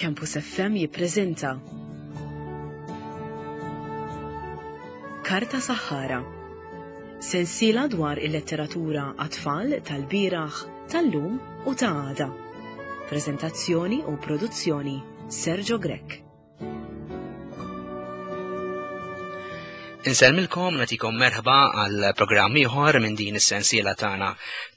Campus FM jippreżenta Karta Saħħara. Sensiela dwar il-letteratura għat-tfal tal-bieraħ, tal-lum u ta' għada. Preżentazzjoni u produzzjoni Sergio Grech. Insellmilkom nagħtikom merħba għal programm ieħor minn din is-sensiela tagħna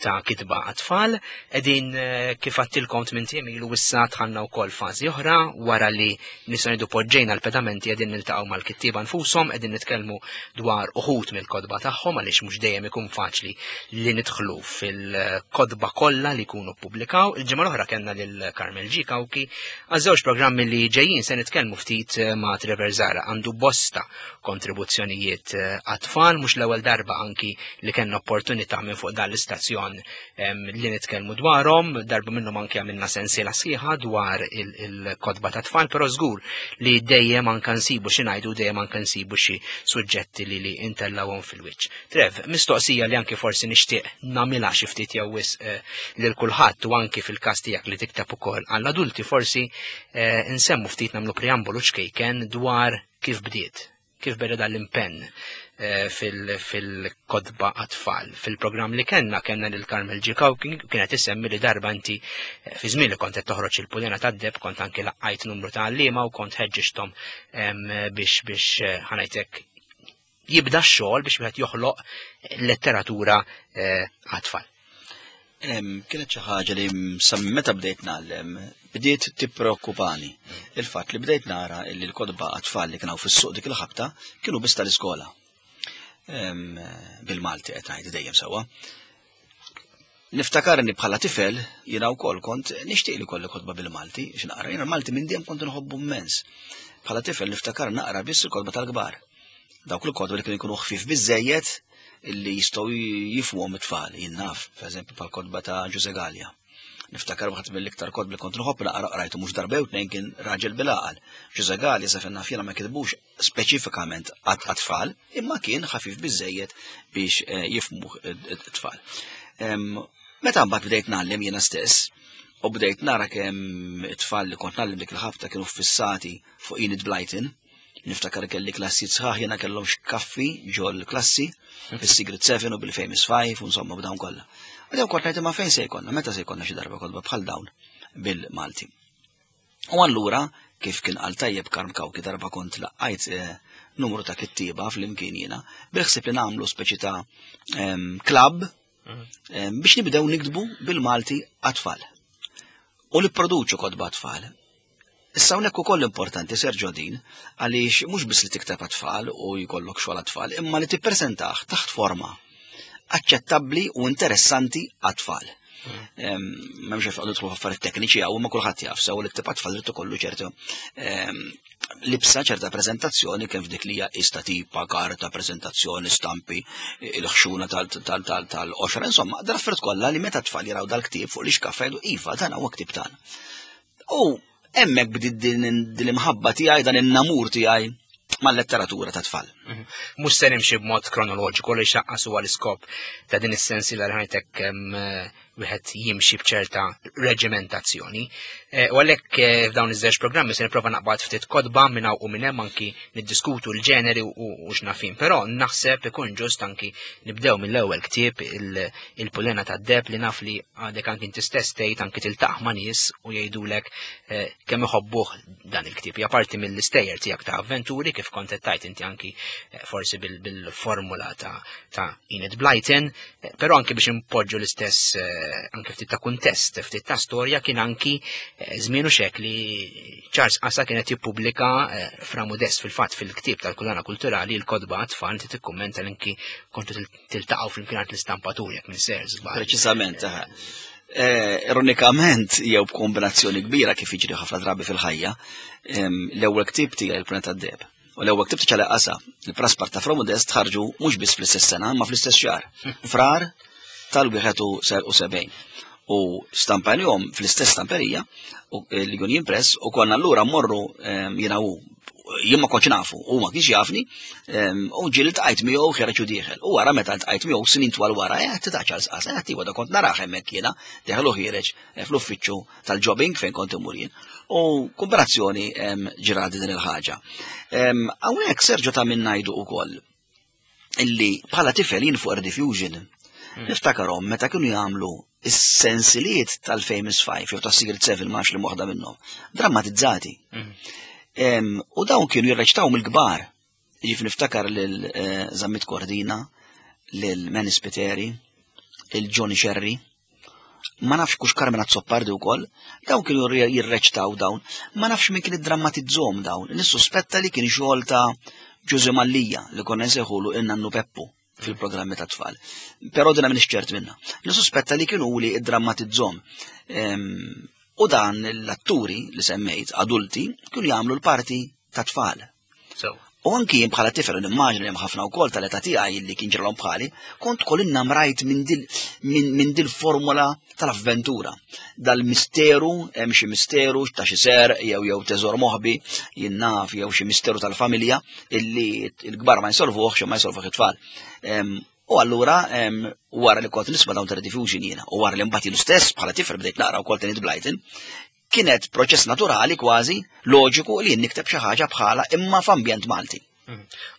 ta' kitba għat-tfal. Qegħdin eh, kif għattilkom tmien ilu issa dħalna wkoll fażi oħra wara li nistgħu ngħidu poġġejna l-pedamenti qegħdin niltaqgħu mal-kittieba nfushom, qegħdin nitkellmu dwar uħud mill-kotba tagħhom għaliex mhux dejjem ikun faċli li nidħlu fil-kotba kollha li jkunu ppubblikaw. Il-ġimgħa l-oħra kellna lil Carmel G. Cauchi Għaż-żewġ programmi li ġejjin se nitkellmu ftit eh, ma' Trevor Zara għandu bosta kontribuzzjonijiet eh, għat-tfal, mhux l-ewwel darba anki li kellna opportunità minn fuq dan l-istazzjon li nitkellmu dwarhom, darba minnhom anki għamilna sensiela sħiħa dwar il-kotba ta' tfal, però żgur li dejjem anke nsibu xi ngħidu dejjem anke nsibu xi suġġetti li li intellawhom fil-wiċċ. Trev, mistoqsija li anki forsi nixtieq nagħmilha xi ftit jew wisq eh, lil kulħadd u anki fil-każ tiegħek li tikteb ukoll għall-adulti forsi eh, nsemmu ftit nagħmlu preambolu ċkejken dwar kif bdiet, kif beda dal-impenn eh, fil-kodba għat-tfal. Fil-programm li kellna kellna lil Carmel Ġikaw kienet isemmi li darba inti fi żmien li kont qed toħroġ il-pulena tad-deb kont anki laqqajt numru ta' għalliema u kont ħeġġixthom biex biex ħanajtek jibda x-xogħol biex wieħed joħloq letteratura eh, għat-tfal. Kienet xi ħaġa li sa meta bdejt ngħallem bdiet tippreokkupani. Il-fatt li bdejt nara li l-kotba għat-tfal li kienu fis-suq dik il-ħabta kienu biss tal-iskola. Bil-Malti qed ngħid dejjem sewwa. Niftakarni bħala tifel, jiena wkoll kont nixtieq li kolli kotba bil-Malti, x'naqra. Jiena l-Malti minn dejjem kont inħobbu immens. Bħala tifel niftakar naqra biss il-kotba tal-kbar. Dawk il-kotba li kienu jkunu ħfief biżejjed illi jistgħu jifhmuhom it-tfal, jien naf, pereżempju bħal kotba ta' Ġuże Galea. Niftakar waħed mill-iktar kotba li kont nħobb naqra qrajtu mhux darba jew tnejn kien Raġel bil-għaqal. Ġuże Galea sa fejn naf jiena ma kitbux speċifikament għat-tfal, imma kien ħafif biżejjed biex eh, jifmu t-tfal. Meta mbagħad bdejt ngħallem jiena stess, u bdejt nara kemm it-tfal li kont ngħallem dik il-ħabta kienu fissati fuq Enid Blyton, niftakar kelli klassi sħaħ jiena kellhom xkaffi ġol klassi, bis-Secret Seven u bil-Famous Five u insomma b'dawn kollha. U dawn kont ngħid ma fejn se jkollna, meta se jkollna xi darba kotba bħal dawn bil-Malti. U allura, kif kien qal tajjeb Karm Cauchi darba kont laqqajt eh, numru ta' kittieba flimkien jiena, bil-ħsieb li nagħmlu speċi ta' klabb mhm. biex nibdew niktbu bil-Malti għat-tfal. U li produċu kotba tfal. Issa hawnhekk ukoll importanti Sergio din għaliex mhux biss li tikteb għat-tfal u jkollok xogħol għat-tfal, imma li tippreżentah taħt forma aċċettabbli u interessanti għat-tfal. M'hemmx għalfejn nidħlu f'affarijiet tekniċi hawn, ma kulħadd jaf sew li ktib għat-tfal irid ikollu ċertu libsa ċerta preżentazzjoni kemm f'dik li hija ista tipa, karta, preżentazzjoni, stampi, il-ħxuna tal-qoxra, insomma, dal-affarijiet kollha li meta tfal jaraw dal-ktieb fuq l-ixkaffa jgħidu iva dan huwa ktieb tagħna. U hemmhekk bdiet din l-imħabba tiegħi, dan in-namur tiegħi mal-letteratura ta' tfal. Mhm. Mhux se nimxi b'mod kronoloġiku li xaqqas huwa l-iskop ta' din is-sensiela li ħajtek wieħed jimxi b'ċerta reġimentazzjoni. Eh, u għalhekk eh, f'dawn iż-żewġ programmi se nipprova naqbad ftit kotba minn hawn u minn hemm anki niddiskutu l-ġeneri u x'nafin. Però naħseb ikun ġust anki nibdew mill-ewwel ktieb il-Pulena tad-Deb li naf li għadek anki inti stess tgħid anki tiltaq ma' nies u jgħidulek eh, kemm iħobbuh dan il-ktieb. Hija parti mill-istejjer tiegħek ta' avventuri kif kont qed tgħid inti anki eh, forsi bil-formula ta' ta' Enid Blyton, eh, però anki biex impoġġu l-istess anki ftit ta' kuntest, ftit ta' storja kien anki żmien u xek li Charles Qasa kienet jippubblika Fra Modest fil-fatt fil-ktieb tal-Kulana Kulturali l-kotba għat-tfal inti tikkummenta l-inki kontu tiltaqgħu flimkien għand l-istampatur jekk minn ser żball. Preċiżament, eh, ironikament jew b'kombinazzjoni kbira kif jiġri ħafna drabi fil-ħajja, l-ewwel ktieb tiegħi il-Planeta Deb. U l-ewwel ktieb ta' qasa, il-Praspar ta' Fromodest ħarġu mhux biss fl-istess sena, ma fl-istess xahar. Frar tal-71. U stampanjom fl-istess stamperija, u l-Union Press, u konna allura morru jiena u Jien ma kontx nafu, u ma kienx jafni, u ġieli ltqajt miegħu ħereġ u dieħel. U wara meta ltqajt miegħu snin twal wara, eh ta' Charles Qas, eh tiwa da kont narah hemmhekk jiena, dieħel u ħiereġ eh, fl-uffiċċju tal-jobbing fejn kont imur jien. U kombinazzjoni ġradi din il-ħaġa. Hawnhekk Sergio ta' min ngħidu wkoll illi bħala tifel jien fuq Rediffusion niftakarhom meta kienu jagħmlu is-sensiliet tal-Famous Five jew tas-Secret Seven ma nafx li waħda minnhom, drammatizzati. U dawn kienu jirreċtaw mill-kbar. Ġif niftakar lil eh, Zammit Cordina, lil Manny Spiteri, il Johnny Sherry, ma nafx kux Carmen Azzopardi wkoll, dawn kienu jirreċtaw dawn, ma nafx min kien iddrammatizzhom dawn, nissuspetta li kien xogħol ta' Ġużè Mallia li konna nsejħulu in-nannu Peppu fil-programmi ta' tfal. Però dina m'iniex ċert minna. Nissuspetta li kienu li iddrammatizzhom. U dan l-atturi li semmejt, adulti, kienu jagħmlu l-parti ta' tfal. U anki jien bħala tifel nimmaġina li hemm ħafna wkoll tal-età tiegħi li kien ġralhom bħali, kont kol innamrajt minn dil minn dil formula tal-avventura. Dal-misteru, hemm xi misteru ta' xi ser jew jew teżor moħbi, jien naf jew xi misteru tal-familja illi l-kbar ma jsolvuhx ma jsolvuh it-tfal. U allura wara li kont nisma' dawn ta' jiena u wara li mbagħad jien stess bħala tifel bdejt naqra wkoll Enid Blyton, kienet proċess naturali kważi, loġiku li nikteb xi ħaġa bħala imma f'ambjent Malti.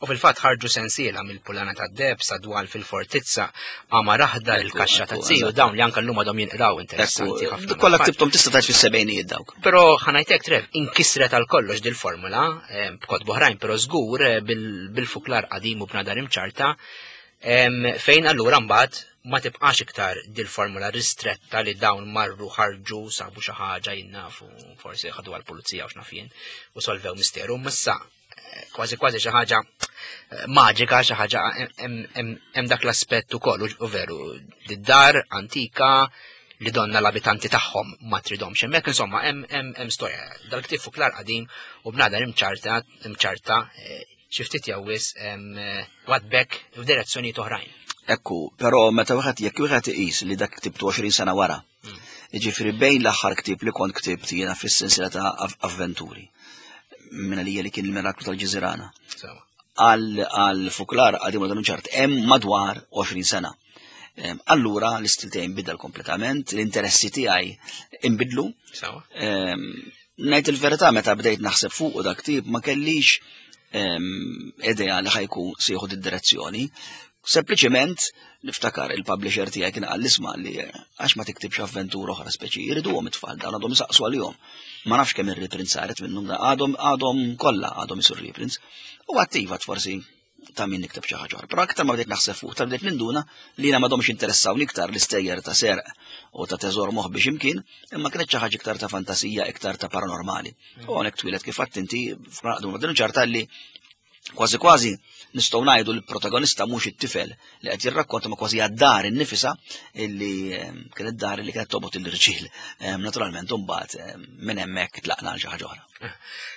U fil-fatt ħarġu sensiela mill-Pulana tad-Deheb sa dwal fil-Fortizza, Qamar Aħdar, il-Kaxxa ta' Ziju, dawn li anke llum għadhom jinqraw interessanti ħafna. Kollha ktibthom tista' tgħid fis-sebgħinijiet dawk. Però ħa ngħidlek Trev, inkisret għal kollox dil-formula, eh, b'kotba oħrajn, però żgur eh, bil-fuklar qadim u bnadar imċarta, fejn allura mbagħad ma tibqax iktar dil-formula ristretta li dawn marru ħarġu sabu xi ħaġa jinnafu forsi ħadu għall-pulizija u x'naf jien u solvew misteru. Missa eh, kważi kważi xi ħaġa eh, maġika, xi ħaġa hemm dak l-aspett ukoll u veru d-dar antika li donna l-abitanti tagħhom ma tridomx. Hemmhekk insomma hemm storja. Dal-ktieb fuklar qadim u bnadar imċarta imċarta eh, xi ftit jew wisq wadbek f'direzzjonijiet oħrajn. Ekku, però meta wieħed jekk wieħed iqis li dak ktibtu 20 sena wara. Jiġifieri bejn l-aħħar ktieb li kont ktibt jiena fis-sensiela ta' avventuri. Minn għalija li kien il-Miraklu tal-Ġiżirana. Għal fuklar qadim u ċart hemm madwar 20 sena. Allura l-istil tiegħi nbidel kompletament, l-interessi tiegħi inbidlu. Ngħid il-verità meta bdejt naħseb fuq u dak tip ma kellix idea li ħa jkun se jieħu id-direzzjoni. Sempliċement niftakar il-publisher tiegħi kien qal isma' li għax ma tiktibx avventura oħra speċi jriduhom it-tfal dan għadhom isaqsu għalihom. Ma nafx kemm ir-reprints saret minnhom għadhom għadhom kollha għadhom isur reprints. U attivat forsi ta' min nikteb xi ħaġa oħra. Però aktar ma bdejt naħseb fuq, ta' bdejt ninduna li jiena m'għadhomx interessawni iktar l-istejjer ta' serq u ta' teżor moħbi x'imkien, imma kienet xi ħaġa iktar ta' fantasija, iktar ta' paranormali. U hawnhekk twieled kif għedt inti f'naqdu ma' ċarta li kważi kważi nistgħu ngħidu li l-protagonista mhux it-tifel li qed jirrakkonta ma kważi għad-dar innifisha illi kienet dar li kienet tobgħod il-irġiel. Naturalment imbagħad minn hemmhekk tlaqna għal xi ħaġa oħra.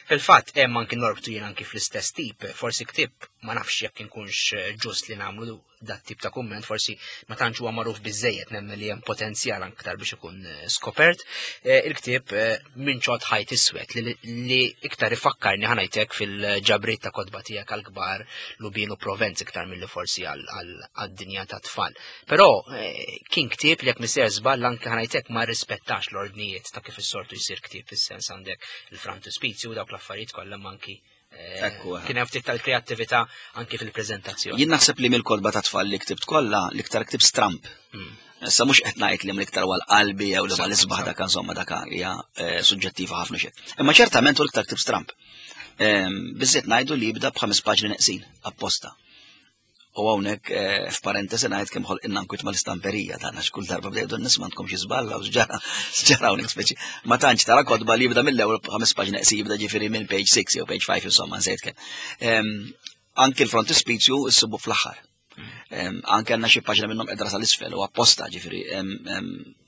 Fil-fatt hemm anki norbtu jien anki fl-istess tip, forsi ktieb ma nafx jekk inkunx ġust li nagħmlu dat tip ta' kumment, forsi ma tantx huwa magħruf biżejjed nemmen li hemm potenzjal aktar biex ikun eh, skopert. Eh, il-ktieb eh, minn ċot ħajt iswed li iktar ifakkarni ħa ngħidlek fil-ġabriet ta' kotba tiegħek għall-kbar Lubin u Provenz iktar milli forsi għad-dinja ta' tfal. Però kien ktieb li jekk miser żball anke ħa ngħidlek ma rispettax l-ordnijiet ta' kif is-sortu jsir ktieb fis-sens għandek il-frontispizju u dawk l-affarijiet kollha anki Ekku, eh. Kien hemm ftit tal-kreattività anki fil-preżentazzjoni. Jien naħseb li mill-kotba ta' tfal li ktibt kollha l-iktar ktieb stramp. Issa mhux qed ngħid li l-iktar għal qalbi jew li mal isbaħ dak insomma dak hija eh, suġġettiva ħafna xejn. Imma ċertament hu l-iktar ktieb stramp. Ehm, biżżejjed ngħidu li jibda b'ħames paġni neqsin apposta. U hawnhekk eh, f'parentesi ngħid kemm ħolqilna nkwiet mal-istamperija tagħna x'kull darba bdejdu n-nies m'għandkom xi żball u x'ġara x'ġara hawnhekk speċi. Ma tantx tara kotba li jibda mill-ewwel ħames paġni neqsin jibda ġifieri minn page 6 jew page 5 insomma nsejt kemm. Ehm, anki l-frontispizju issibu fl-aħħar. Ehm, anke għandna xi paġna minnhom qedra sal-isfel u apposta ġifieri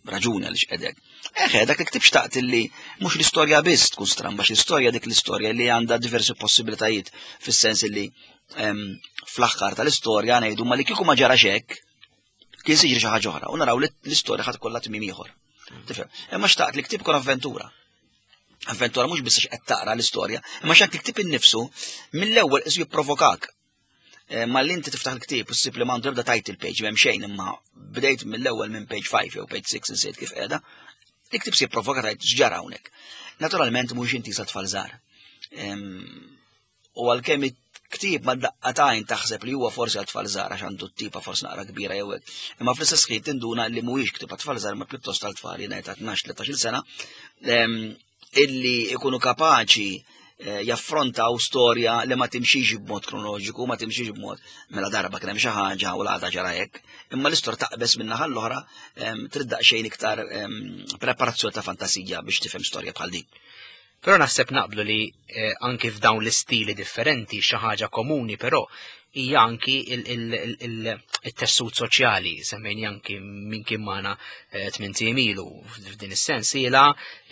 raġuni għaliex qedek. Eħe, dak il-ktib xtaqt li mhux l-istorja biss tkun stramba, l-istorja dik l-istorja li għandha diversi possibilitajiet fis-sens li fl-aħħar tal-istorja ngħidu ma li kieku ma ġara hekk, kien se jiġri xi ħaġa oħra u naraw li l-istorja ħadd kollha tmiem ieħor. Tifhem? Imma xtaqt li ktib kun avventura. Avventura mhux biss qed taqra l-istorja, imma x'qed tiktib innifsu mill-ewwel isu jipprovokak. Eh, ma li inti tiftaħ il-ktieb u ssib li m'għandu ebda title page m'hemm xejn imma bdejt mill-ewwel minn page 5 jew page 6 insejt kif qiegħda, il-ktieb se jipprovoka tajt x'ġara hawnhekk. Naturalment mhux inti sa tfal żgħar. U għalkemm ktieb ma daqqatajn taħseb li huwa forsi għal tfal żgħar għax għandu t-tipa forsi naqra kbira jew hekk. Imma fl-istess ħin tinduna li mhuwiex ktieb għat-tfal żgħar ma pjuttost għal tfal jiena ta' 12-13 sena illi ikunu kapaċi eh, jaffrontaw storja li ma timxix b'mod kronoloġiku, ma timxix b'mod mela darba kien hemm xi ħaġa u l-għada ġara hekk, imma l-istorja taqbeż minn naħa l-oħra trid daqsxejn iktar preparazzjoni ta' fantasija biex tifhem storja bħal din. Però naħseb naqblu li eh, anki f'dawn l-istili differenti xi ħaġa komuni però hija anki il-tessut soċjali, semmejni anki minn kien magħna eh, tmien ilu f'din is-sens ila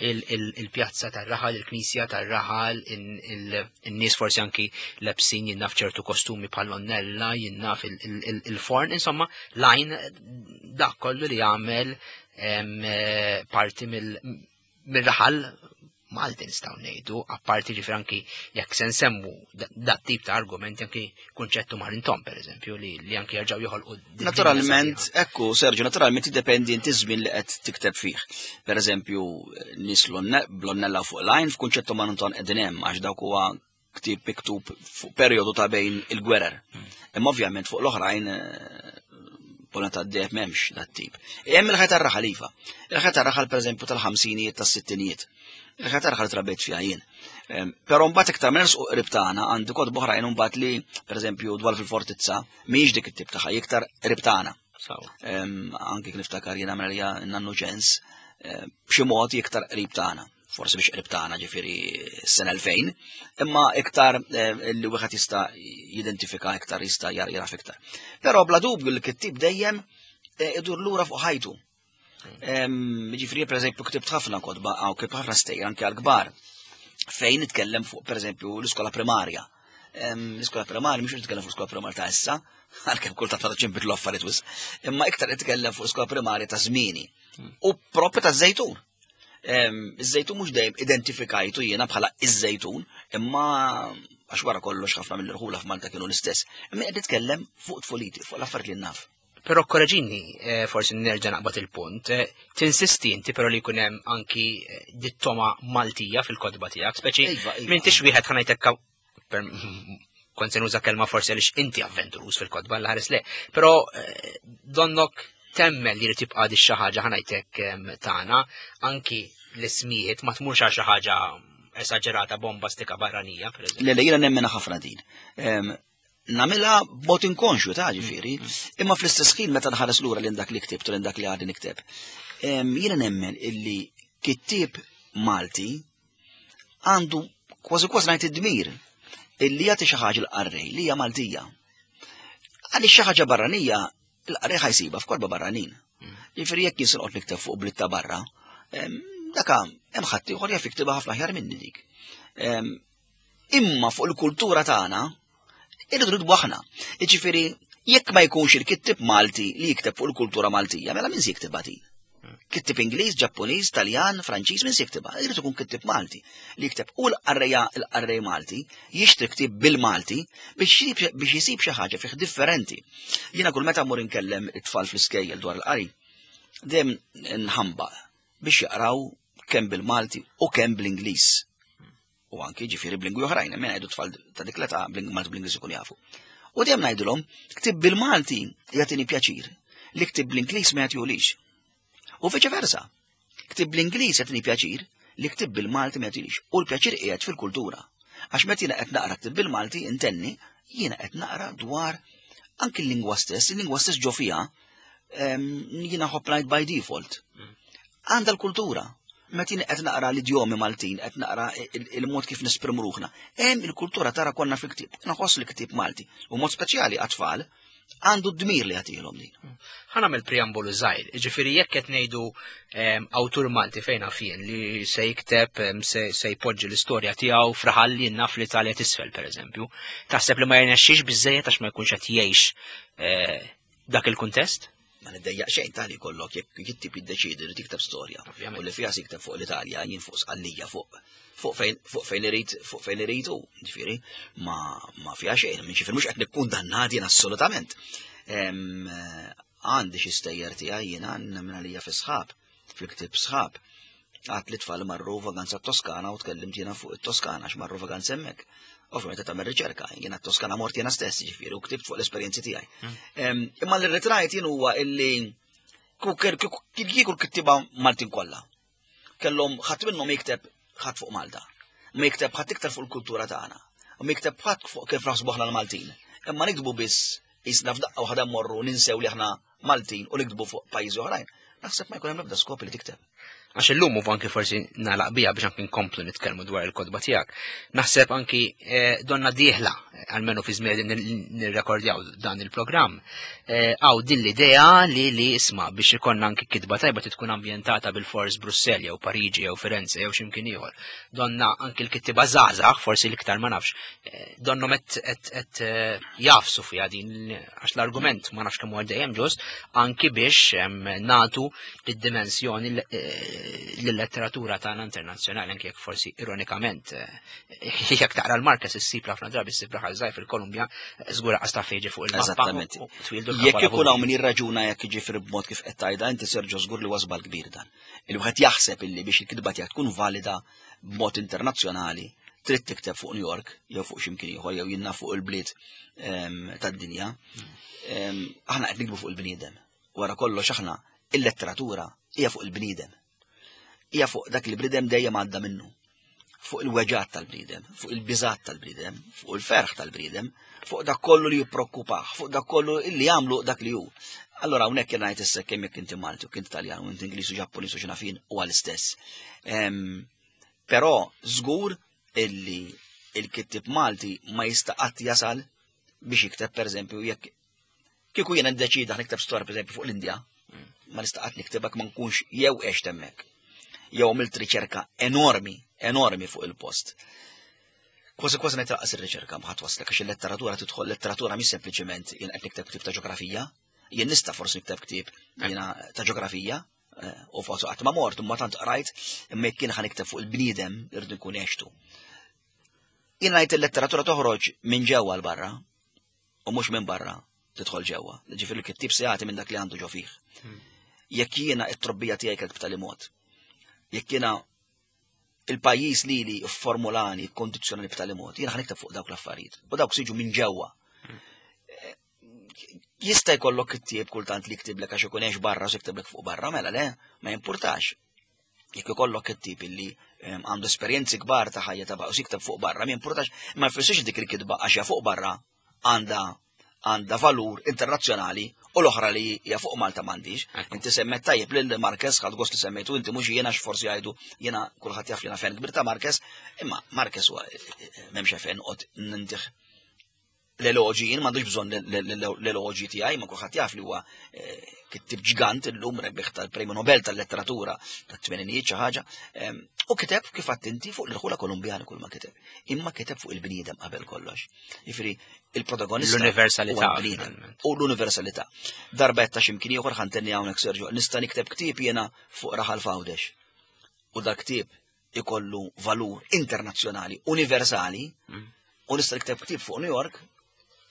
il-pjazza tar-raħal, il-knisja tar-raħal, in-nies forsi anki lebsin jinnaf ċertu kostumi bħal-onnella, jinnaf il-forn, insomma, lajn dak kollu li jagħmel eh, parti mill-raħal Malti nistgħu ngħidu, apparti ġifier anki jekk se nsemmu dat tip ta' argumenti anki kunċettu marintom pereżempju li, li anki jerġgħu joħolqu. Naturalment, ekku Sergio, naturalment tiddependi inti żmien li qed tikteb fih. Pereżempju, nies blonnella fuq lajn f'kunċettu marintom qegħdin hemm għax dawk huwa ktieb miktub fuq perjodu ta' bejn il-gwerer. Imma ovvjament fuq l-oħrajn eh, Polna ta' d memx dat tip. Hemm il-ħajt tar-raħal iva. Il-ħajt tar-raħal pereżempju tal-ħamsinijiet tas-sittinijiet. Il-ħajt tar-raħal trabejt fiha jien. Ehm, però mbagħad iktar minn u qrib tagħna għandi kotba oħrajn mbagħad li pereżempju dwar fil-fortizza mhijiex dik it-tip tagħha iktar qrib tagħna. Ehm, anki kif niftakar jiena mela nannu ġens eh, b'xi mod iktar qrib tagħna forsi biex qrib tagħna ġifieri s-sena 2000, imma iktar eh, li wieħed jista' jidentifika iktar jista' jaraf iktar. Però bla dubju l-kittib dejjem eh, idur lura fuq ħajtu. Ġifieri pereżempju ktibt ħafna kotba għaw ktibt ħafna stejjer anke għall-kbar fejn nitkellem fuq pereżempju l-iskola primarja. L-iskola primarja mhux nitkellem fuq l-iskola primarja ta' issa, għalkemm kultant ma tantx inbidlu affarijiet wisq, imma iktar nitkellem fuq l-iskola primarja ta' żmieni u propju ta' żejtun. Iż-żejtun mhux dejjem identifikajtu jiena bħala iż-żejtun, imma għax wara kollox ħafna mill-irħula f'Malta kienu l-istess. Imma qed nitkellem fuq tfuliti, fuq l-affarijiet li naf. Però korreġini, eh, forsi nerġa' naqbad il-punt, eh, tinsisti inti però li jkun hemm anki eh, dittoma Maltija fil-kotba tiegħek, speċi iva, iva. m'intix wieħed ħanajtek kont se nuża kelma forsi għaliex inti avventurus fil-kotba l-ħares le, però eh, donnok temmen li jrid jibqa' di xi ħaġa ħanajtek tagħna, anki l-ismijiet ma tmurx għal xi ħaġa esaġerata bombastika barranija, per eżempju. Le, le, jiena nemmena ħafna din. Namela b'mod inkonxju ta' ġifieri, mm, mm. imma fl-istess ħin meta nħares lura lil dak li ktibt u lil dak li għadni nikteb. Jiena nemmen illi kittieb Malti għandu kważi kważi ngħid id-dmir illi jagħti xi ħaġa l-qarrej li hija Maltija. Għaliex xi ħaġa barranija l-qarrej ħajsiba f'korba barranin. Jiġifieri jekk jien se noqgħod nikteb fuq bliet ta' barra, daka hemm ħadd ieħor jaf jiktibha ħafna aħjar minni dik. Imma fuq il-kultura tagħna irridu nidbu aħna. Jiġifieri jekk ma jkunx il-kittib Malti li jikteb fuq il-kultura Maltija, mela min se jiktibha din? Kittib Ingliż, Ġappuniż, Taljan, Franċiż, min se jiktibha? Irid ikun kittib Malti li jikteb u l-qarrejja l-qarrej Malti jixtri ktieb bil-Malti biex jisib xi ħaġa fih differenti. Jiena kull meta mmur inkellem it-tfal fl-iskejjel dwar il-qari, dejjem nħambaq biex jaqraw kemm bil-Malti u kemm bl-Ingliż. U anki ġifieri b'lingwi oħrajn, hemm ngħidu tfal ta' dik l-età bl-Malti bl-Ingliż ikun jafu. U dejjem ngħidulhom, ktib bil-Malti jagħtini pjaċir, li ktib bl-Ingliż ma jagħtihulix. U viċe versa, ktib bl-Ingliż jagħtini pjaċir, li ktib bil-Malti ma jagħtinix. U l-pjaċir qiegħed fil-kultura. Għax meta jiena qed naqra ktib bil-Malti, intenni, jiena qed naqra dwar anki l-lingwa stess, il-lingwa stess ġo fiha jiena ħobb ngħid by default. Għandha l-kultura. Meta jien qed naqra l-idjomi Maltin, qed naqra il-mod kif nesprimu ruħna. Hemm il-kultura tara konna fil-ktieb. Naħoss li ktieb Malti u mod speċjali għat-tfal għandu d-dmir li jagħtihom din. Ħa nagħmel preambolu żgħir, jiġifieri jekk qed ngħidu awtur Malti fejn naf jien li se jikteb se jpoġġi l-istorja tiegħu fraħal li naf l-Italja tisfel pereżempju, taħseb li ma jirnexxix biżejjed għax ma jkunx qed jgħix eh, dak il-kuntest? Ma niddejjaq xejn ta' li jkollok jekk kittib jiddeċiedi li tikteb storja. U li fiha jikteb fuq l-Italja, jien fuq Sqallija, fuq fuq fejn fuq fejn irid fuq fejn irid hu, ġifieri, ma ma fiha xejn, ġifieri mhux qed nikkundannat jien assolutament. Għandi xi stejjer tiegħi jiena nemmen għalija fi sħab, fil-ktieb sħab. Għat li tfal marru vaganza Toskana u tkellimt jiena fuq it-Toskana għax marru vaganza hemmhekk. Ovvjament qed tagħmel riċerka, jiena t-Toskana mort jiena stess, ġifieri, u ktibt fuq l-esperjenzi tiegħi. Hmm. Imma li rritrajt jien huwa illi kieku l-kittiba Maltin kollha. Kellhom ħadd minnhom jikteb ħadd fuq Malta. Ma jikteb ħadd iktar fuq il-kultura tagħna. Ma jikteb ħadd fuq kif naħsbu aħna l-Maltin. Imma niktbu biss jisna f'daqqa waħda mmorru ninsew li aħna Maltin u niktbu fuq pajjiżi oħrajn. Naħseb ma jkun hemm ebda skop li tikteb. Għax illum u anki forsi nagħlaq bija biex anki nkomplu nitkellmu dwar il-kotba tiegħek. Naħseb anki eh, donna dieħla, almenu fi żmien nirrekordjaw dan il-programm, eh, għaw din l-idea li li isma' biex ikonna anki kitba tajba tkun ambjentata bil-fors Brussell jew Pariġi jew Firenze jew x'imkien ieħor. Donna anki l-kittiba żgħażagħ, forsi l-iktar ma nafx, eh, donnom qed jafsu fiha din għax l-argument ma nafx kemm huwa dejjem ġust, anki biex nagħtu lid-dimensjoni eh, lill-letteratura tagħna internazzjonali anki jekk forsi ironikament eh, jekk taqra l-Marquez issib ħafna drabi ssib raħal żgħir fil-Kolumbja żgur qas taf fejġi fuq il-mappa. Eżattament. Jekk ikun hawn min jirraġuna jekk jiġifieri b'mod kif qed tgħidha inti Sergio żgur li wasbal kbir dan. Il-wieħed jaħseb illi biex il-kitba tiegħek tkun valida b'mod internazzjonali trid tikteb fuq New York jew fuq x'imkien ieħor jew jinnna fuq il-bliet ehm, tad-dinja. Ehm, aħna qed nikbu fuq il-bniedem. Wara kollox aħna il-letteratura hija fuq il-bniedem. Hija fuq dak li bniedem dejjem għadda minnu. Fuq il-weġat tal-bniedem, fuq il-biżat tal-bniedem, fuq il-ferħ tal-bniedem, fuq dak kollu li jipprokkupah, fuq dak kollu li jagħmlu dak li hu. Allora hawnhekk jien ngħid issa kemm jekk inti Malti u kint Taljan u inti Ingliż u Ġappuniż u x'nafin huwa l-istess. Ehm, Però żgur illi il-kittib Malti ma jista' qatt jasal biex jikteb pereżempju jekk kieku jiena ndeċida nikteb storja pereżempju fuq l-Indja, ma nista' qatt niktebek ma nkunx jew għext hemmhekk. Jew għamilt riċerka enormi, enormi fuq il-post. Kważi kważi ngħid raqqas ir-riċerka ma ħadd waslek għax il-letteratura tidħol letteratura mhix sempliċement jien qed nikteb ktieb ta' ġeografija, jien nista' forsi nikteb ktieb jiena ta' ġeografija, Eh, u forsi qatt ma mort, imma tant qrajt, imma jekk kien ħanikteb fuq il-bniedem irridu nkun għextu. Jien ngħid il-letteratura toħroġ minn ġewwa l barra u mhux minn barra tidħol ġewwa. Ġifieri l-kittib se jagħti minn dak li għandu ġo fih. Hmm. Jekk jiena t-trobbija tiegħi kienet b'tali mod, jekk jiena il-pajjiż li li formulani, kondizzjonali b'tali mod, jiena ħanikteb fuq dawk l-affarijiet. U dawk siġu minn ġewwa. Hmm. Jista' jkollok kittieb kultant li jktiblek għax ikun għex barra u jktiblek fuq barra, mela le, ma jimpurtax. Jekk ikollok kittieb illi ehm, għandu esperjenzi kbar ta' ħajja ta' u jikteb fuq barra, ma jimpurtax, ma jfissirx dik il-kitba għax hija fuq barra għandha għandha valur internazzjonali u l-oħra li hija fuq Malta m'għandix. Inti semmet tajjeb lil Marquez ħadd gost li semmejtu inti mhux jiena forsi jgħidu jiena kulħadd jaf li jiena fan kbir ta' Marquez, imma Marquez huwa eh, eh, eh, m'hemmx fejn noqgħod nintih l-eloġi, jien m'għandux bżonn l-eloġi tiegħi, ma kulħadd jaf li huwa eh, kittib ġgant illum rebbieħ tal-Premju Nobel tal-Letteratura tat-tmeninijiet xi ħaġa. Ehm, u kiteb kif inti fuq l-irħula Kolumbjani kull ma kiteb. Imma kiteb fuq il-bniedem qabel kollox. Jifieri il-protagonista l-universalità u l-universalità. Darba qed ta' x'imkien ieħor ħantenni hawnhekk Sergio, nista' nikteb ktieb jiena fuq raħal fawdex. U dak ktieb ikollu valur internazzjonali, universali, mm. u nista' nikteb ktieb fuq New York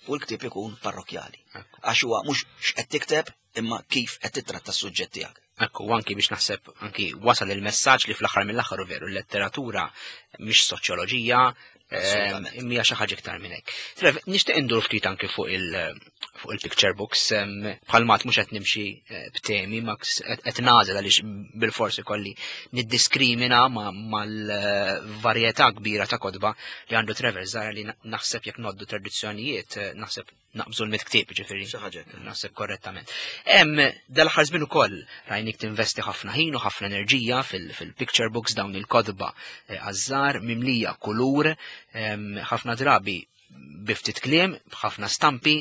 u l-ktieb ikun parrokjali. Għax huwa mhux x'qed tikteb imma kif qed titratta s-suġġett tiegħek. Ekku, anki biex naħseb anki wasal il-messaġġ li fl-aħħar mill-aħħar veru l-letteratura mhix soċjoloġija, Ehm, imma xi ħaġa iktar minn hekk. Trev, nixtieq indur ftit anki fuq il- fuq il-picture books, ehm, bħal mat mhux qed nimxi eh, b'temi, ma qed nagħżel għaliex bil-forsi kolli niddiskrimina mal-varjetà kbira ta' kotba li għandu Trevor Zara li naħseb jekk noddu tradizzjonijiet, eh, naħseb naqbżu l-mit ktieb ġifieri. Xi ħaġa Naħseb korrettament. Hemm dal-aħħar żmien ukoll rajnik tinvesti ħafna ħin u ħafna enerġija fil-picture books dawn il-kotba eh, għażżar mimlija kulur, ħafna drabi biftit kliem, b'ħafna stampi,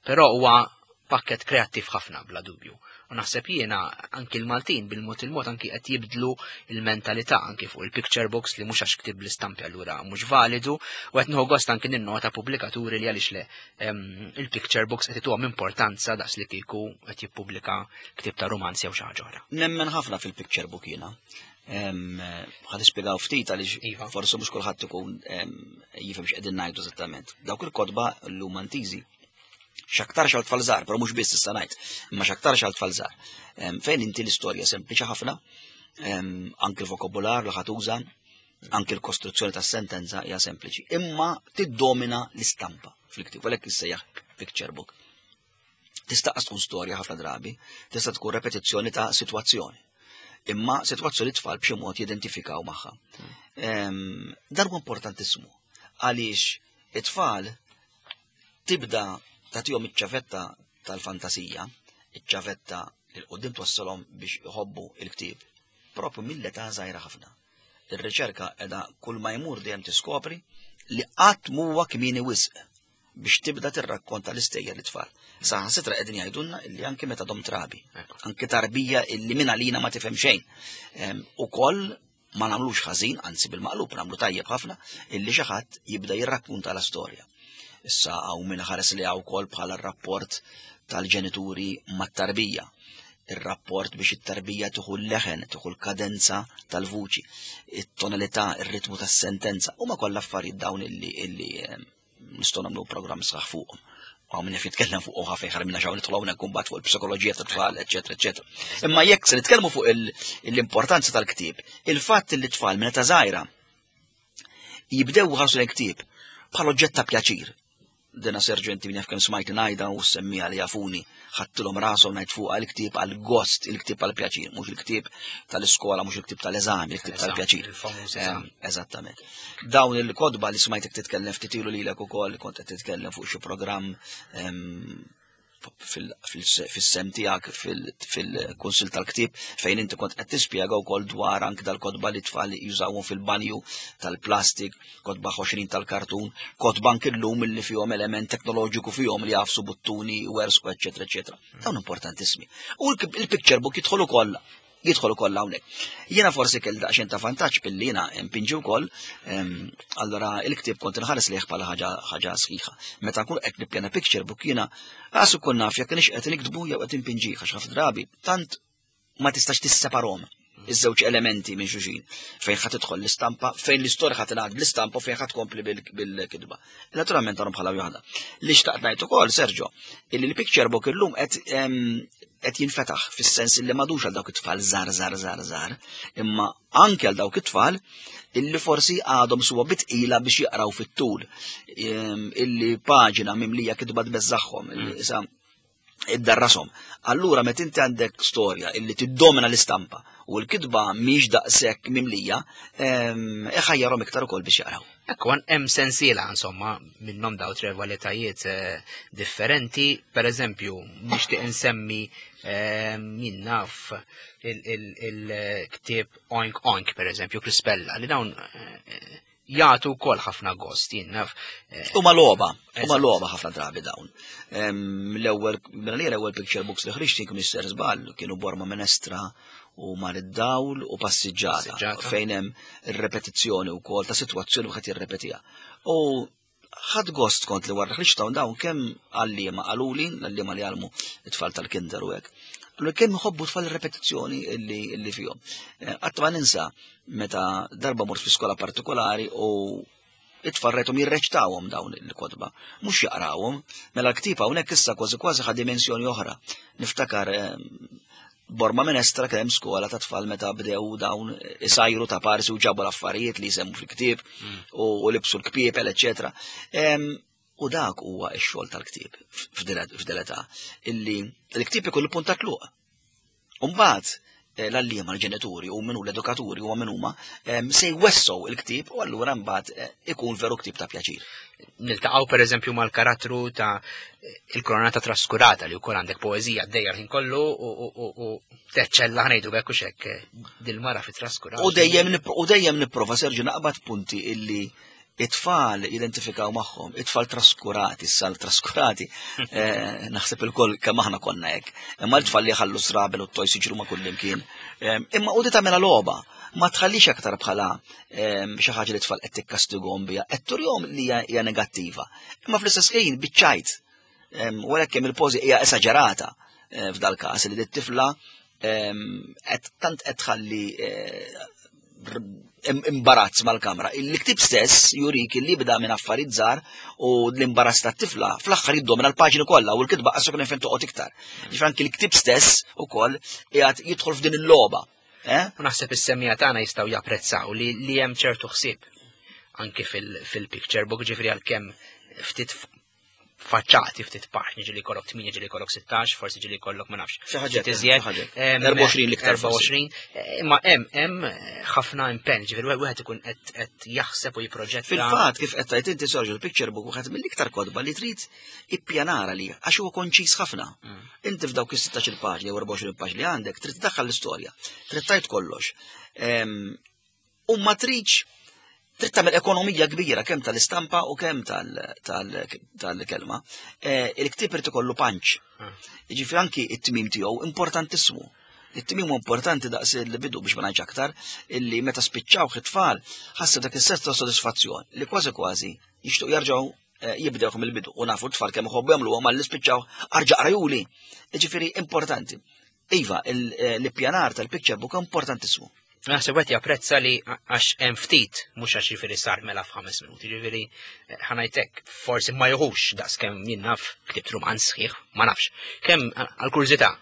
però huwa Pakket kreattiv ħafna bla dubju. U naħseb jiena anki l-Maltin bil-mod il-mod anki qed jibdlu il-mentalità anki fuq il-picture books li mhux għax ktib l-istampi allura mhux validu u qed nieħu gost anki ninnota pubblikaturi li għaliex le il-picture books qed ituhom importanza daqs li kieku qed jippubblika ktieb ta' romanzi jew xi ħaġa oħra. Nemmen ħafna fil-picture book jiena. Ħa nispjegaw ftit għaliex iva. forsi mhux kulħadd ikun jifhem x'qegħdin ngħidu eżattament. Dawk il-kotba llum antiżi x'aktarx għal tfal żgħar, però mhux biss issa ngħid, imma x'aktarx għal tfal żgħar. Fejn inti l-istorja sempliċi ħafna, anki l-vokabular li ħatuża, anki l-kostruzzjoni tas-sentenza hija sempliċi, imma tiddomina l-istampa fil-ktieb, għalhekk issejjaħ picture book. Tista' tkun storja ħafna drabi, tista' tkun repetizzjoni ta' sitwazzjoni. Imma sitwazzjoni tfal b'xi mod jidentifikaw magħha. Dan huwa importantissimu għaliex it-tfal tibda tagħtihom iċ-ċavetta tal-fantasija, iċ-ċavetta li l-qudiem twassalhom biex iħobbu il-ktieb, propju mill-età żgħira ħafna. Ir-riċerka qiegħda kull ma jmur dejjem tiskopri li qatt m'huwa kmieni wisq biex tibda tirrakkonta l-istejjer lit-tfal. Saħansitra qegħdin jgħidulna illi anki meta dom trabi, anki tarbija illi minn għalina ma tifhem xejn. Ukoll ma nagħmlux ħażin, anzi bil-maqlub nagħmlu tajjeb ħafna, illi xi ħadd jibda jirrakkunta la storja. Issa hawn min ħares li hawn ukoll bħala r-rapport tal-ġenituri mat-tarbija ir-rapport biex it-tarbija tieħu l-leħen, tieħu l-kadenza tal-vuċi, it-tonalità, ir-ritmu tas-sentenza, huma kollha affarijiet dawn illi illi nistgħu nagħmlu programm sħaħ fuqhom. Għaw minn jitkellem fuq uħa fejn ħarmina xaw nidħlu hawnhekk imbagħad fuq il-psikoloġija tat-tfal, eċetera, eċetera. Imma jekk se nitkellmu fuq l-importanza tal-ktieb, il-fatt li t-tfal minn età żgħira jibdew ħarsu l-ktieb bħal oġġett ta' pjaċir. Dina Sergio inti min jaf kemm smajt ngħidha u semmija li jafuni ħadtilhom rashom ngħid fuqha il-ktieb għal gost, il-ktieb għal pjaċir, mhux il-ktieb tal-iskola, mhux il-ktieb tal-eżami, il-ktieb tal-pjaċir. Eżattament. Dawn il-kotba li smajtek titkellem ftit ilu lilek ukoll kont qed titkellem fuq xi programm fis-sem tiegħek fil-Kunsill tal-Ktieb fejn inti kont qed tispjega wkoll dwar anke dal-kotba li tfal jużawhom fil-banju tal-plastik, kotba ħoxrin tal-kartun, kotba anke llum li fihom element teknoloġiku fihom li jagħfsu buttuni, wersku, eċetera, eċetera. Dawn importantissimi. U l-picture book jidħol ukoll jidħol ukoll hawnhekk. Jiena forsi kell daqsxejn ta' vantaġġ billi jiena mpinġi wkoll, allura il-ktieb kont inħares lejh bħala ħaġa ħaġa sħiħa. Meta nkun qed nippjana picture book jiena għas ukoll naf jekk kienx qed niktbu jew qed impinġih għax ħafna drabi tant ma tistax tisseparhom iż-żewġ elementi minn xulxin fejn ħa tidħol l-istampa, fejn l-istorja ħa tingħad bl-istampa u fejn ħa tkompli bil-kitba. Naturalment għandhom bħala waħda. Li xtaqt ngħid ukoll, Sergio, illi l-picture book illum qed qed jinfetaħ fis-sens illi m'għadux għal dawk it-tfal żgħar żgħar żgħar żgħar, imma anke għal dawk it-tfal illi forsi għadhom suwa bitqila biex jaqraw fit-tul, illi paġina mimlija kitba tbeżżagħhom, illi mm. isa iddarrashom. Allura meta inti għandek storja illi tiddomina l-istampa u l-kitba mhix daqshekk mimlija, iħajjarhom iktar ukoll biex jaqraw. Ekku, hemm sensiela insomma minnhom daw tre valetajiet eh, differenti, per eżempju, nixtieq insemmi min naf il-ktieb Oink Oink, per eżempju, Crispella, li dawn eh, jagħtu wkoll ħafna gost, jien naf. Eh, huma logħba, huma logħba ħafna drabi dawn. L-ewwel mela li l-ewwel picture books li ħriġt kien Mister Żball kienu Borma Menestra u Mar id-Dawl u Passiġġata fejn hemm ir-repetizzjoni wkoll ta' sitwazzjoni wieħed jirrepetiha. U ħadd gost kont li wara ħriġt dawn dawn kemm għalliema qaluli, l-għalliema li għalmu it-tfal tal-kinder u hekk. Allura kemm iħobbu tfal ir-repetizzjoni illi fihom. Eh, qatt ma ninsa meta darba mort fi skola partikolari u it-tfal rajthom jirreċtawhom dawn il-kotba, mhux jaqrawhom, mela l-ktieb hawnhekk issa kważi kważi ħa dimensjoni oħra. Niftakar eh, Borma Minestra kien hemm skola ta' tfal meta bdew dawn isajru ta' parsi u ġabu l-affarijiet li jsemmu fil-ktieb mm. u libsu l-kpiepel, eċetera. U dak huwa x-xogħol tal-ktieb f'dil-età illi l-ktieb ikollu punt ta' tluq. Umbagħad eh, l-għalliema l-ġenituri u minnu l-edukaturi u minn huma se jwessow il-ktieb u allura mbagħad eh, ikun veru ktieb ta' pjaċir. Niltaqgħu pereżempju mal-karattru ta' il-koronata traskurata li wkoll għandek poeżija għaddejja l-ħin kollu u teċċella ħnejdu bekk u xekk eh, dil-mara fi traskurata. U dejjem u dejjem nipprova Serġu naqbad punti illi It-tfal jidentifikaw magħhom, it-tfal traskurati, sal traskurati, eh, naħseb il-koll kemm aħna konna hekk. Imma l-tfal li ħallu srabel u t-tojs jiġru ma' kullimkien. Eh, imma u di tagħmilha logħba, ma tħallix aktar bħala eh, xi ħaġa li tfal qed tikkastighom biha, qed turihom li hija negattiva. Imma fl-istess ħin biċċajt. U għalhekk kemm il-pożi hija esaġerata f'dal każ li t-tifla qed tant qed tħalli imbarazz mal-kamra. Il-ktib stess jurik li bda minn affarijiet żgħar u l-imbarazz tat-tifla fl-aħħar jiddomina l-paġni kollha u l-kitba qasok fejn toqgħod iktar. Ġifier anki l-ktib stess ukoll qiegħed jidħol f'din il-logħba. Eh? U naħseb is-semija tagħna jistgħu japprezzaw li li hemm ċertu ħsieb anki fil-picture book ġifieri għalkemm ftit faċċati ftit paġni ġili kollok 8 ġili kollok 16, forsi ġili kollok ma nafx. Xi ħaġa iżjed. 24 l-iktar 24. Eh, imma hemm hemm eh, ħafna impenn, ġifieri wieħed ikun qed jaħseb u jiproġetta. Fil-fatt kif qed tgħid inti Sergio l-picture book wieħed mill-iktar kotba li trid ippjanara li għax huwa konċis ħafna. Mm. Inti f'dawk is-16 paġni jew 24 paġni li għandek trid tdaħħal l-istorja, trid tgħid kollox. U ma tridx trid tagħmel ekonomija kbira kemm tal-istampa u kemm tal-kelma. Eh, il-ktieb irid ikollu panċ. Ah. Jiġifieri anki it-tmim tiegħu importantissimu. It-tmim huwa importanti daqs il-bidu biex ma ngħidx aktar illi meta spiċċaw it-tfal ħassu dak is-sens ta' sodisfazzjon li kważi kważi jixtuq jerġgħu eh, jibdew mill-bidu u nafu t-tfal kemm iħobbu jagħmluha mal-li spiċċaw arġa' qrajuli. Jiġifieri importanti. Iva, eh, l-ippjanar tal-picture book importantissimu. Naħseb qed japprezza li għax hemm ftit, mhux għax jiġifieri sar mela f'ħames minuti, jiġifieri eh, ħanajtek forsi ma joħux daqs kemm jien naf ktibt rumanz sħiħ, ma nafx. Kemm għall-kurżità.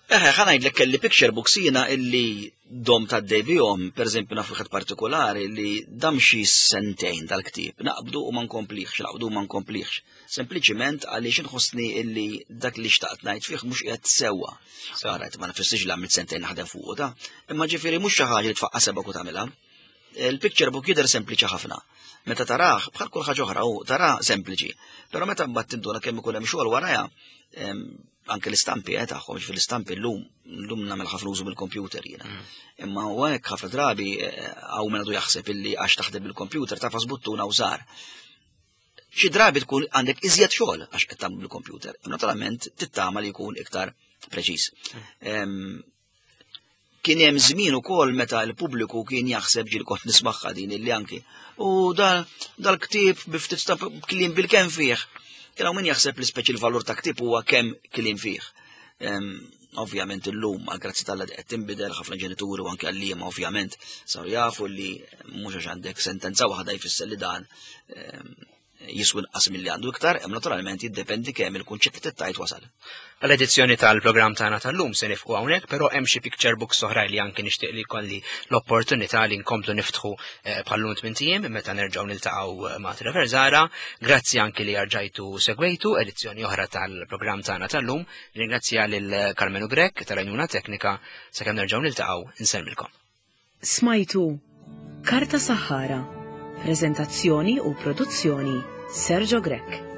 Eħe, ħanajdlek kelli picture books jiena illi dom ta' bihom, per eżempju naf wieħed partikolari li dam xi sentejn dal-ktieb, naqbdu u ma nkomplihx, naqbdu u ma nkomplihx. Sempliċiment għaliex inħossni illi dak li xtaqt ngħid fih mhux qiegħed sewwa. Saret ma nfissirx li għamilt sentejn naħdem fuqu ta' imma ġifieri mhux xi ħaġa li tfaqqa' sebgħek u tagħmilha. Il-picture book jidher sempliċi ħafna. Meta tarah bħal kull ħaġa oħra hu tara sempliċi. Però meta mbagħad tinduna kemm ikun hemm xogħol warajha, anke l-istampi eh, tagħhom, ġifieri l-istampi llum llum nagħmel ħafna użu mill-computer jiena. Mm. Imma u hekk ħafna drabi eh, hawn minn għadu jaħseb illi għax taħdem bil-computer tafas buttuna u sar. Xi drabi tkun għandek iżjed xogħol għax qed tagħmlu bil-computer. Naturalment tittama li jkun iktar preċiż. Kien hemm żmien ukoll meta l-pubbliku kien jaħseb ġil kont nismagħha din illi anki. U dal-ktieb bi ftit ta' kliem bil-kemm fih. Kien hawn min jaħseb li speċi l-valur ta' ktieb huwa kemm kliem fih. Ovvjament illum, għal grazzi tal qed tinbidel ħafna ġenituri u anke għalliema ovvjament saru jafu li mhux għax għandek sentenza waħda jfisser li dan ehm, jiswi inqas milli għandu iktar, hemm naturalment jiddependi kemm il-kunċett li tajt wasal. Għal-edizzjoni tal-programm tagħna tal-lum se nifqu hawnhekk, però hemm xi picture books oħra li anki nixtieq li jkolli l-opportunità li nkomplu niftħu eh, bħallum tmien ijiem meta nerġgħu niltaqgħu eh, ma' Trevor Zara. Grazzi anki li rġajtu segwejtu edizzjoni oħra tal-programm tagħna tal-lum. Ringrazzja lil Karmenu Grech tal-għajnuna teknika sakemm nerġgħu niltaqgħu insellmilkom. Smajtu Karta Saħħara, preżentazzjoni u produzzjoni Sergio Grech.